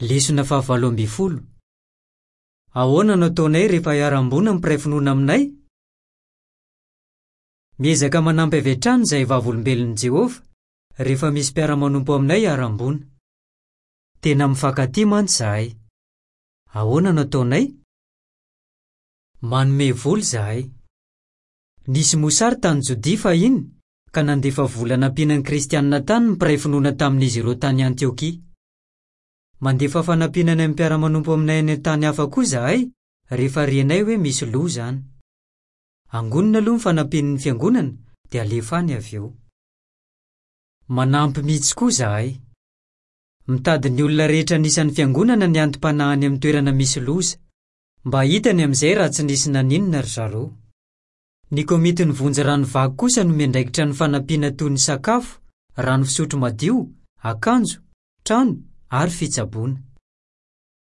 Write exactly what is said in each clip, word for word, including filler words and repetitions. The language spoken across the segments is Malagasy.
Lesona fahavalo ambin'ny folo. Ahoana no ataonay rehefa iharam-boina ny mpiray finoana aminay? Miezaka manampy avy hatrany izahay Vavolombelon'i Jehovah rehefa misy mpiara-manompo aminay iharam-boina. Tena mifankatia mantsy izahay. Ahoana no ataonay? Manome vola izahay. Nisy mosary tany Jodia fahiny ka nandefa vola nampiana ny kristianina tany ny mpiray finoana tamin'izy ireo tany Antiokia. Mandefa fanampiana any amin'ny mpiara-manompo aminay any an-tany hafa koa izahay rehefa renay hoe misy loza any. Angonina aloha ny fanampian'ny fiangonana dia alefa any avy eo. Manampy mihitsy koa izahay. Mitady ny olona rehetra anisan'ny fiangonana ny antom-panahy any amin'ny toerana misy loza, mba hitany amin'izay raha tsy nisy naninona ry zareo. Ny komitin'ny vonjy rano vaky kosa no miandraikitra ny fanampiana toy ny sakafo, rano fisotro madio, akanjo, trano ary fitsaboana.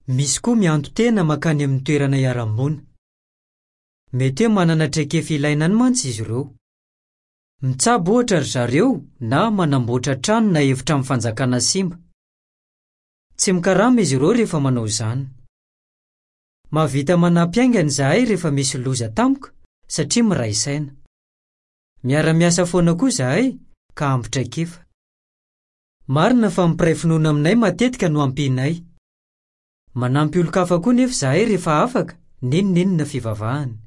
Misy koa mianto-tena mankany amin'ny toerana iharam-boina. Mety hoe manana traikefa ilaina any mantsy izy ireo. Mitsabo ohatra ry zareo na manamboatra trano na efitrano fanjakana simba. Tsy mikarama izy ireo rehefa manao izany. Mahavita manampy haingana izahay rehefa misy loza tampoka satria miray saina. Miara-miasa foana koa izahay ka ampy traikefa. Marina fa ny mpiray finoana aminay matetika no ampianay. Manampy olon-kafa koa nefa izahay rehefa afaka, n'inon'inona fivavahana.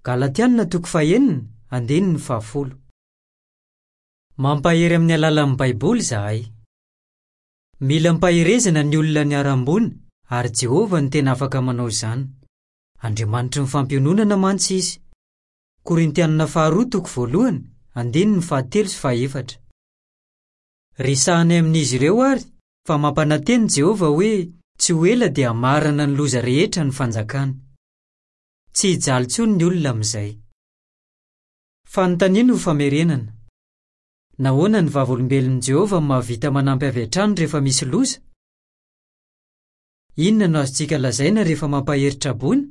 Galatianina toko fahenina, andininy fahafolo. Mampahery amin'ny alalan'ny Baiboly izahay. Mila ampaherezana ny olona niharam-boina ary Jehovah no tena afaka manao izany. Andriamanitry ny fampiononana mantsy izy. Korintianina faharoa toko voalohany, andininy fahatelo sy fahefatra. Resahanay amin'izy ireo ary fa mampanantena Jehovah hoe tsy ho ela dia hamarana ny loza rehetra ny fanjakany. Tsy hijaly intsony ny olona amin'izay. Fanontaniana ho famerenana. Nahoana ny Vavolombelon'i Jehovah no mahavita manampy avy hatrany rehefa misy loza? Inona no azontsika lazaina rehefa mampahery traboina?